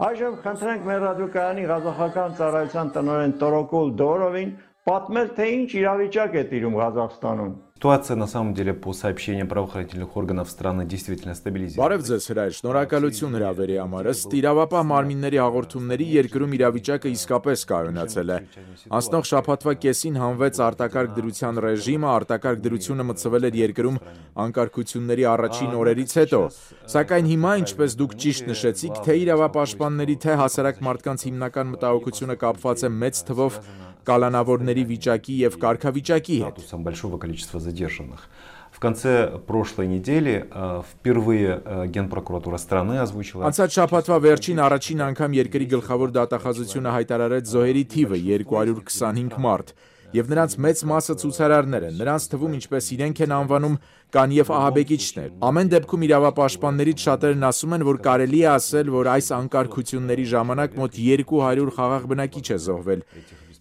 Այժմ խնդրենք մեր ռադիոկայանի ղազախական ծառայության տնօրեն Տորոկուլ Դորովին պատմել, թե ինչ իրավիճակ է տիրում Ղազախստանում։ Ситуация на самом деле по сообщениям правоохранительных органов страны действительно стабилизировалась. Բարև ձեզ հրայր, շնորհակալություն հրավերի համար։ Ըստ իրավապահ մարմինների հաղորդումների երկրում իրավիճակը իսկապես կայունացել է։ Անցնող շաբաթվա կեսին հանվեց արտակարգ դրության ռեժիմը, արտակարգ դրությունը մտցվել էր երկրում անկարգությունների առաջին օրերից հետո։ Սակայն հիմա, ինչպես դուք ճիշտ нշեցիք, թե իրավապաշտպանների, թե հասարակ մարդկանց հիմնական մտահոգությունը կապված է մեծ թվով կալանավորների վիճակի եւ կարգավիճակի հետ։ Большого количества задержанных. В конце прошлой недели впервые Генпрокуратура страны озвучила. Անցած շաբաթվա վերջին առաջին անգամ երկրի գլխավոր դատախազությունը հայտարարեց զոհերի թիվը 225 մարդ, եւ նրանց մեծ մասը ցուցարարներ են։ Նրանց թվում, ինչպես իրենք են անվանում, կան եւ ահաբեկիչներ։ Ամեն դեպքում իրավապաշտպաններից շատերն ասում են, որ կարելի է ասել, որ այս անկարգությունների ժամանակ մոտ 200 խաղաղ բնակիչ է զոհվել։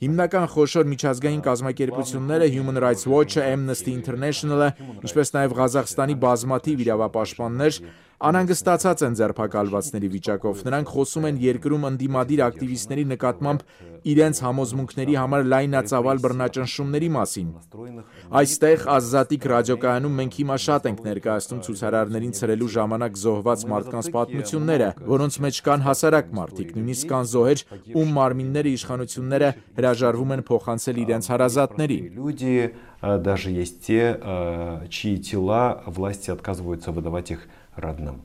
Հիմնական խոշոր միջազգային կազմակերպությունները Human Rights Watch-ը, Amnesty International-ը, ինչպես նաև Ղազախստանի բազմաթիվ իրավապաշտպաններ անհանգստացած են ձերբակալվածների վիճակով։ Նրանք խոսում են երկրում ընդդիմադիր ակտիվիստների նկատմամբ իրենց համոզմունքների համար լայնածավալ բռնաճնշումների մասին։ Այստեղ Ազատիկ ռադիոկայանում մենք հիմա շատ ենք ներկայացնում ցուցարարներին ցրելու ժամանակ զոհված մարդկանց պատմությունները, որոնց մեջ կան հասարակ մարդիկ, նույնիսկ կան զոհեր, ում մարմինները իշխանությունները հրաժարվում են փոխանցել իրենց հարազատներին։ Люди, даже есть те, чьи тела власти отказываются выдавать их родным.